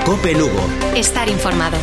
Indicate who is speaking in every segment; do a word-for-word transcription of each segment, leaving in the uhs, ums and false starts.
Speaker 1: COPE Lugo.
Speaker 2: Estar informado.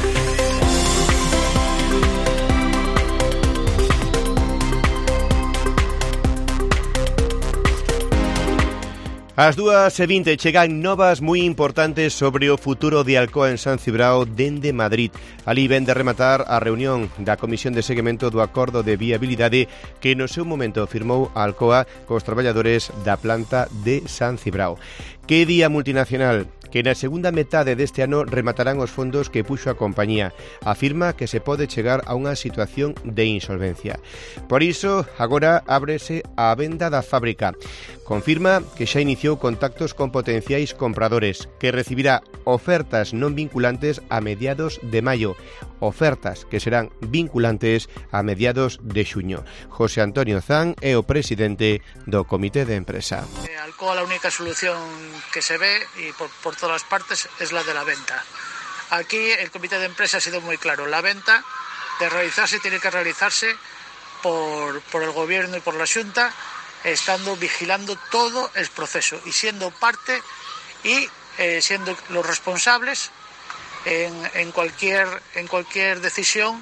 Speaker 3: Ás dúas e vinte chegan novas moi importantes sobre o futuro de Alcoa en San Cibrao dende Madrid. Ali ven de rematar a reunión da Comisión de Seguimento do Acordo de Viabilidade que no seu momento firmou a Alcoa cos traballadores da planta de San Cibrao. Que día multinacional que na segunda metade deste ano rematarán os fondos que puxo a compañía. Afirma que se pode chegar a unha situación de insolvencia. Por iso, agora ábrese a venda da fábrica. Confirma que xa iniciou contactos con potenciais compradores, que recibirá ofertas non vinculantes a mediados de maio, ofertas que serán vinculantes a mediados de xuño. José Antonio Zan é o presidente do Comité de Empresa.
Speaker 4: Alcoa, la única solución que se ve y por, por todas partes es la de la venta. Aquí el Comité de Empresa ha sido muy claro, la venta de realizarse tiene que realizarse por, por el Gobierno y por la Xunta, estando vigilando todo el proceso y siendo parte y eh, siendo los responsables en, en, cualquier, en cualquier decisión.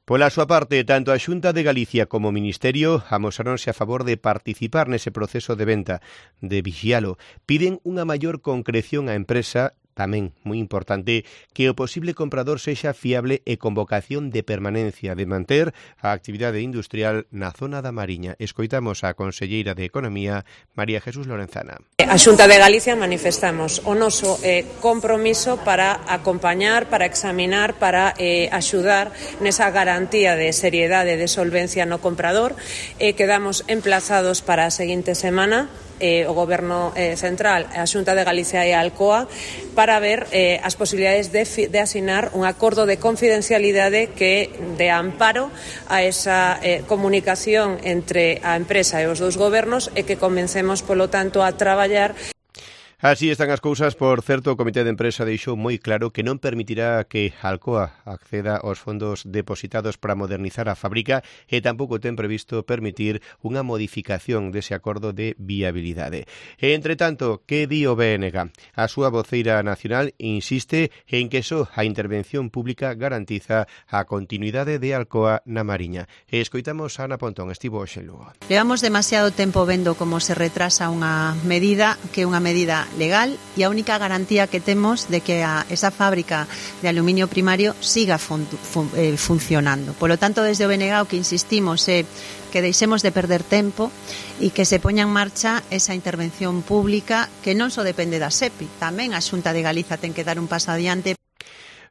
Speaker 3: Pola súa parte, tanto a Xunta de Galicia como o Ministerio amosáronse a favor de participar nese proceso de venta, de vixialo. Piden unha maior concreción á empresa, tamén moi importante, que o posible comprador sexa fiable e con vocación de permanencia, de manter a actividade industrial na zona da Mariña. Escoitamos a conselleira de Economía, María Jesús Lorenzana.
Speaker 5: A Xunta de Galicia manifestamos o noso eh, compromiso para acompañar, para examinar, para eh, axudar nesa garantía de seriedade e de solvencia no comprador. Eh, quedamos emplazados para a seguinte semana, eh, o Goberno eh, Central, a Xunta de Galicia e a Alcoa, para ver eh, as posibilidades de, de asinar un acordo de confidencialidade que de amparo a esa eh, comunicación entre a empresa e os dous gobernos e que comencemos, polo tanto, a traballar.
Speaker 3: Así están as cousas. Por certo, o Comité de Empresa deixou moi claro que non permitirá que Alcoa acceda aos fondos depositados para modernizar a fábrica e tampouco ten previsto permitir unha modificación dese acordo de viabilidade. E, entre tanto, que di o B N G? A súa voceira nacional insiste en que só a intervención pública garantiza a continuidade de Alcoa na Mariña. E escoitamos a Ana Pontón, estivo hoxe en Lugo.
Speaker 6: Levamos demasiado tempo vendo como se retrasa unha medida que é unha medida legal e a única garantía que temos de que a, esa fábrica de aluminio primario siga fun, fun, eh, funcionando. Por lo tanto, desde o B N G o que insistimos é que deixemos de perder tempo e que se poña en marcha esa intervención pública que non só depende da SEPI, tamén a Xunta de Galiza ten que dar un paso adiante.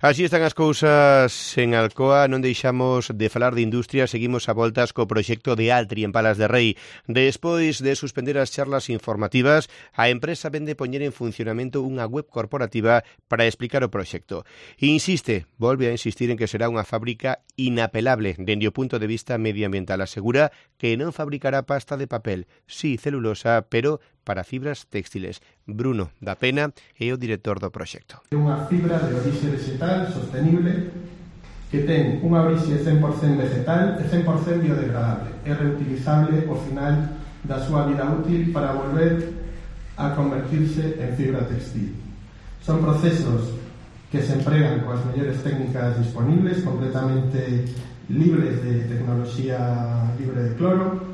Speaker 3: Así están as cousas en Alcoa. Non deixamos de falar de industria. Seguimos a voltas co proxecto de Altri en Palas de Rei. Despois de suspender as charlas informativas, a empresa vende poñer en funcionamento unha web corporativa para explicar o proxecto. Insiste, volve a insistir en que será unha fábrica inapelable dende o punto de vista medioambiental. Asegura que non fabricará pasta de papel, sí celulosa, pero para fibras textiles. Bruno da Pena é o director do proxecto.
Speaker 7: É unha fibra de orixe vegetal sostenible que ten unha orixe cen por cento vegetal e cen por cento biodegradable. É reutilizable ao final da súa vida útil para volver a convertirse en fibra textil. Son procesos que se empregan coas mellores técnicas disponibles, completamente libres de tecnoloxía libre de cloro.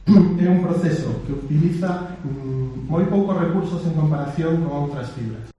Speaker 7: É un proceso que utiliza mm, moi poucos recursos en comparación con outras fibras.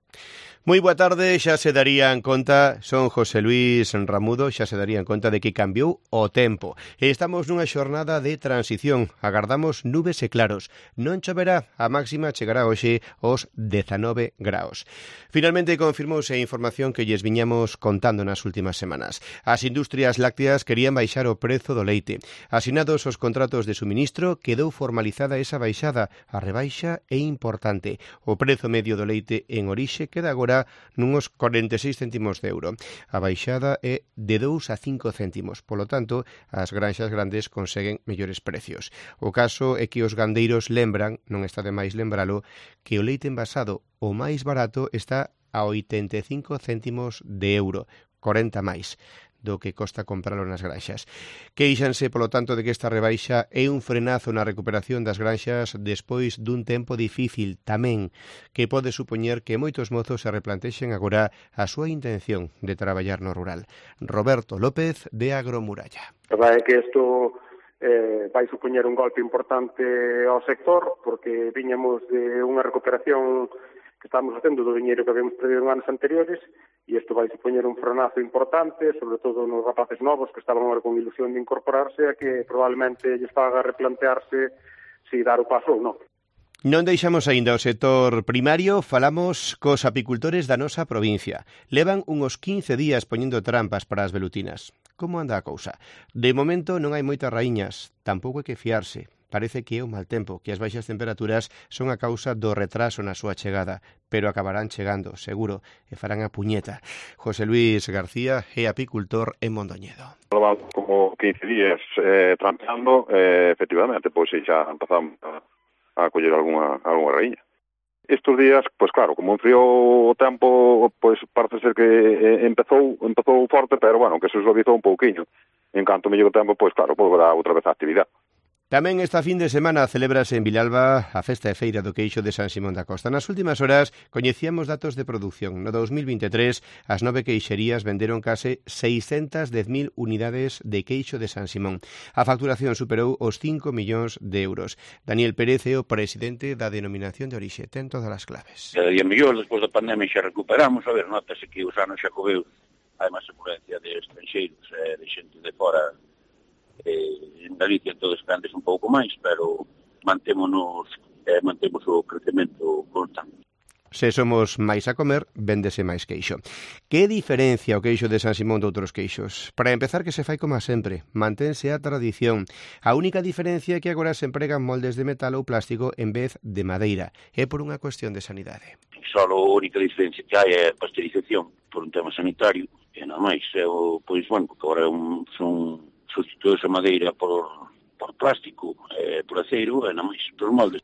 Speaker 3: Moi boa tarde, xa se darían conta, son José Luis Ramudo, xa se darían conta de que cambiou o tempo. Estamos nunha xornada de transición, agardamos nubes e claros. Non choverá, a máxima chegará hoxe aos dezanove graos. Finalmente confirmouse a información que lles viñamos contando nas últimas semanas. As industrias lácteas querían baixar o prezo do leite. Asinados os contratos de suministro, quedou formalizada esa baixada. A rebaixa é importante. O prezo medio do leite en orixe queda agora nuns corenta e seis céntimos de euro. A baixada é de dous a cinco céntimos. Polo tanto, as granxas grandes conseguen mellores precios. O caso é que os gandeiros lembran, non está de máis lembralo, que o leite envasado, o máis barato, está a oitenta e cinco céntimos de euro, corenta máis. do que costa compralo nas granxas. Queixanse, polo tanto, de que esta rebaixa é un frenazo na recuperación das granxas despois dun tempo difícil, tamén que pode supoñer que moitos mozos se replantexen agora a súa intención de traballar no rural. Roberto López, de Agromuralla.
Speaker 1: A verdade é que isto eh, vai supoñer un golpe importante ao sector, porque viñamos de unha recuperación que estamos facendo do diñeiro que habíamos perdido en anos anteriores, e isto vai supoñer un frenazo importante, sobre todo nos rapaces novos que estaban agora con ilusión de incorporarse, a que probablemente lles faga replantearse se dar o paso ou non.
Speaker 3: Non deixamos aínda o sector primario, falamos cos apicultores da nosa provincia. Levan uns quince días poñendo trampas para as velutinas. Como anda a cousa? De momento non hai moitas raíñas, tampouco hai que fiarse. Parece que é o mal tempo, que as baixas temperaturas son a causa do retraso na súa chegada, pero acabarán chegando, seguro, e farán a puñeta. José Luis García é apicultor en Mondoñedo.
Speaker 2: Levamos como quince días eh, trampeando, eh, efectivamente, pois xa empezamos a, a coller algunha, algunha raíña. Estes días, pois claro, como enfriou o tempo, pois parece ser que eh, empezou empezou forte, pero bueno, que se suavizou un pouquiño. En canto mellou o tempo, pois claro, volverá outra vez a actividade.
Speaker 3: Tamén esta fin de semana celebrase en Vilalba a festa e feira do queixo de San Simón da Costa. Nas últimas horas coñecíamos datos de produción. No dos mil veintitrés, as nove queixerías venderon case seiscentas dez mil unidades de queixo de San Simón. A facturación superou os cinco millóns de euros. Daniel Pérez é o presidente da denominación de orixe. Ten todas as claves.
Speaker 8: Cada día mellor, despois da pandemia xa recuperamos. A ver, notase que os anos xa coveus hai máis afluencia de estranxeiros, eh, de xente de fora. Eh, en Galicia todos antes un pouco máis, pero mantémonos, eh, mantemos o crecemento constante.
Speaker 3: Se somos máis a comer, véndese máis queixo. Que diferencia o queixo de San Simón de outros queixos? Para empezar, que se fai como sempre, mantense a tradición. A única diferencia é que agora se empregan moldes de metal ou plástico en vez de madeira. É por unha cuestión de sanidade.
Speaker 8: Só a única diferencia que hai é a pasteurización, por un tema sanitario, e nada máis. É o, pois, bueno, porque agora un, son sustituídos a madeira por, por plástico, eh, por aceiro, e nada máis, por moldes.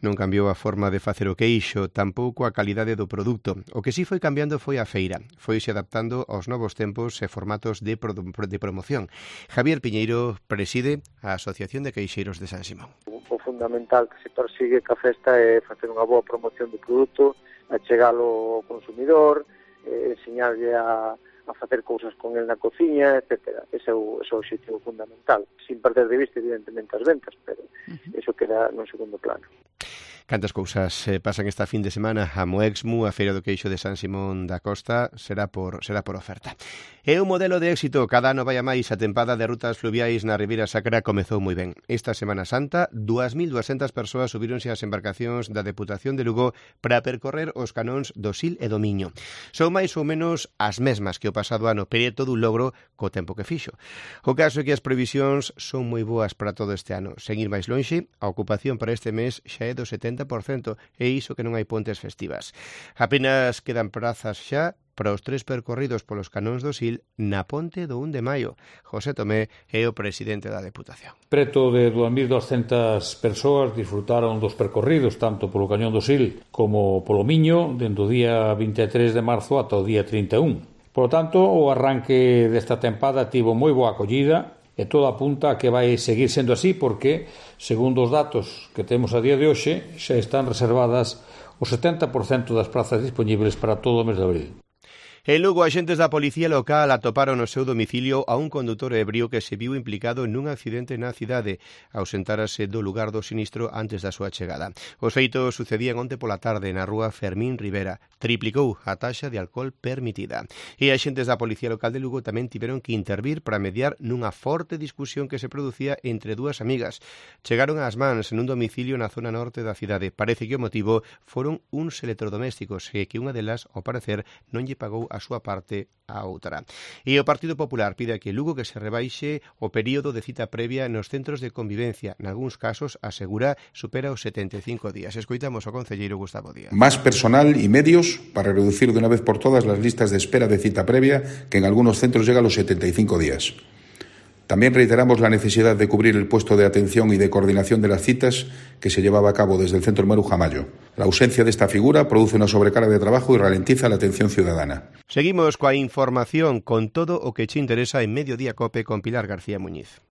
Speaker 3: Non cambiou a forma de facer o queixo, tampouco a calidade do produto. O que sí foi cambiando foi a feira. Foise adaptando aos novos tempos e formatos de, pro, de promoción. Javier Piñeiro preside a Asociación de Queixeiros de San Simón.
Speaker 1: O fundamental que se persigue ca festa é facer unha boa promoción do produto, achegalo ao consumidor, eh, enseñarlle a a facer cousas con el na cociña, etcétera. Ese é o, ese é o objetivo fundamental, sin perder de vista, evidentemente, as ventas, pero uh-huh. Eso queda no segundo plano.
Speaker 3: Cantas cousas eh, pasan esta fin de semana. A Moexmu, a Feira do Queixo de San Simón da Costa, será por será por oferta. É un modelo de éxito. Cada ano vai a máis. A tempada de rutas fluviais na Ribeira Sacra comezou moi ben. Esta Semana Santa, dúas mil duascentas persoas subíronse ás embarcacións da Deputación de Lugo para percorrer os canóns do Sil e do Miño. Son máis ou menos as mesmas que o pasado ano, pero é todo un logro co tempo que fixo. O caso é que as previsións son moi boas para todo este ano. Sen ir máis lonxe, a ocupación para este mes xa é do setenta por cento, e iso que non hai pontes festivas. Apenas quedan prazas xa para os tres percorridos polos canóns do Sil na ponte do un de maio. José Tomé é o presidente da Deputación.
Speaker 9: Preto de dúas mil duascentas persoas disfrutaron dos percorridos tanto polo cañón do Sil como polo Miño dende o día vinte e tres de marzo ata o día trinta e un. Por tanto, o arranque desta tempada tivo moi boa acollida e todo apunta a que vai seguir sendo así porque, segundo os datos que temos a día de hoxe, xa están reservadas o setenta por cento das prazas dispoñibles para todo o mes de abril.
Speaker 3: En Lugo, axentes da Policía Local atoparon no seu domicilio a un condutor ebrio que se viu implicado nun accidente na cidade. Ausentárase do lugar do sinistro antes da súa chegada. Os feitos sucedían onte pola tarde na rúa Fermín Rivera. Triplicou a taxa de alcohol permitida. E axentes da Policía Local de Lugo tamén tiveron que intervir para mediar nunha forte discusión que se producía entre dúas amigas. Chegaron ás mans nun domicilio na zona norte da cidade. Parece que o motivo foron uns electrodomésticos e que unha delas, ao parecer, non lle pagou a súa parte a outra. E o Partido Popular pide que Lugo que se rebaixe o período de cita previa nos centros de convivencia. Nalgúns casos, asegura, supera os setenta e cinco días. Escoitamos ao concelleiro Gustavo Díaz.
Speaker 10: Más personal y medios para reducir de una vez por todas las listas de espera de cita previa, que en algunos centros llega a los setenta y cinco días. También reiteramos la necesidad de cubrir el puesto de atención y de coordinación de las citas que se llevaba a cabo desde el Centro Maruja Mayo. La ausencia de esta figura produce una sobrecarga de trabajo y ralentiza la atención ciudadana.
Speaker 3: Seguimos coa información con todo o que che interesa en Mediodía Cope con Pilar García Muñiz.